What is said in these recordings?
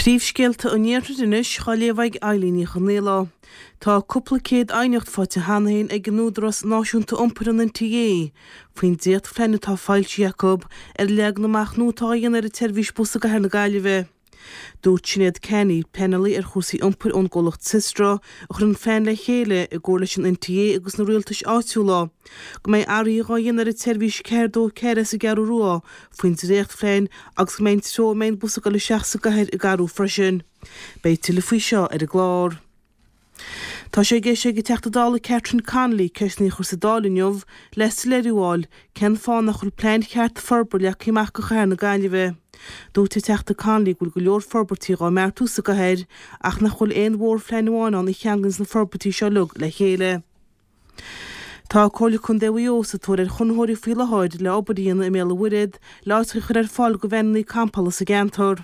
Príomhscéalta an Iarthair anois á léamh ag Eilín Ní Chonghaile. Tá cúpla céad aighneacht faighte cheana féin ag an Údarás Náisiúnta Iompair, an NTA, faoin dréachtphlean atá foilsithe acu ar an leagan amach nua atá á dhéanamh ar an tseirbhís bus i gcathair na Gaillimhe. Dúirt Sinéad Canney, pleanálaí ar chúrsaí iompair ón gcomhlacht Systra, a chuir an plean le chéile i gcomhar leis an NTA agus na rialtais áitiúla, go mbeidh athruithe dhá dhéanamh ar an tseirbhís 424 sa gCeathrú Rua faoin dréachtphlean agus go mbeidh an treo a mbeidh an bus ag dul isteach sa gcathair ag athrú freisin. Beidh tuilleadh faoi seo ar an gclár. Tá sé i gceist ag an Teachta Dála Catherine Connolly ceisteanna a chur sa Dáil inniu le soiléiriú a fháil cén fáth nach bhfuil plean ceart forbartha leagtha amach do chathair na Gaillimhe. Dúirt an Teachta Connolly go bhfuil go leor forbairtí dhá mbeartú sa gcathair ach nach bhfuil aon mhórphlean amháin ann a cheanglaíonns na forbairtí seo uilig le chéile. Tá Comhairle Contae Mhaigh Eo sa tóir ar chonraitheoirí faoi láthair le obair a dhéanamh i mBéal an Mhuirthead le áit a chur ar fáil do veaineanna campála sa gceantar.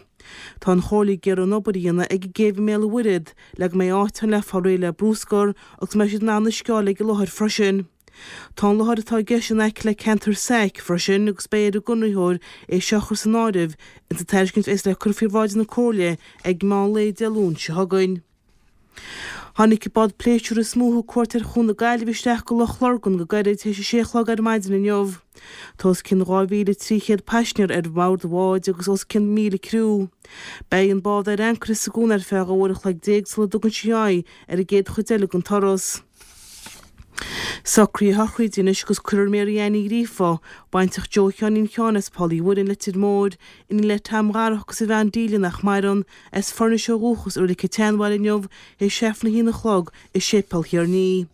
Tá an Chomhairle ag iarraidh an obair a dhéanamh ag an gcéibh i mBéal an Mhuirthead le go mbeidh áit ann le fáil réidh le brúscar agus go mbeidh siad in ann uisce a fháil ag an láthair freisin. Tá an láthair atá i gceist in aice le ceantar SAIC freisin agus beidh ar an gconraitheoir é seo a chur san áireamh ins an tairiscint a bheas le cur faoi bhráid na Comhairle ag meán lae Dé Luain seo chugainn. Tháinig an bád pléisiúir is mó a thug cuairt ar Chuan na Gaillimhe isteach go Loch Lurgan go gairid théis a sé a chlog ar maidin inniu. Tá os cionn 2,300 paisinéir ar bhord an bháid agus os cionn 1,000 criú. Beidh an bád ar ancaire sa gcuan ar feadh 12 uair an chloig sula dtugann sí aghaidh ar an gcéad chuid eile den turas. Socruithe sochraide anois agus cuirfear Mary Ann Ní Ghríofa, baintreach Joe Sheáinín Sheáin as Poll Uí Mhuirinn, Leitir Móir, iníon le Tom Dharach agus a bhean Delia nach maireann, as Foirnis ó dhúchas i Reilig an tSeanbhaile inniu théis Aifreann a haon a chlog i Séipéal Thír an Fhia.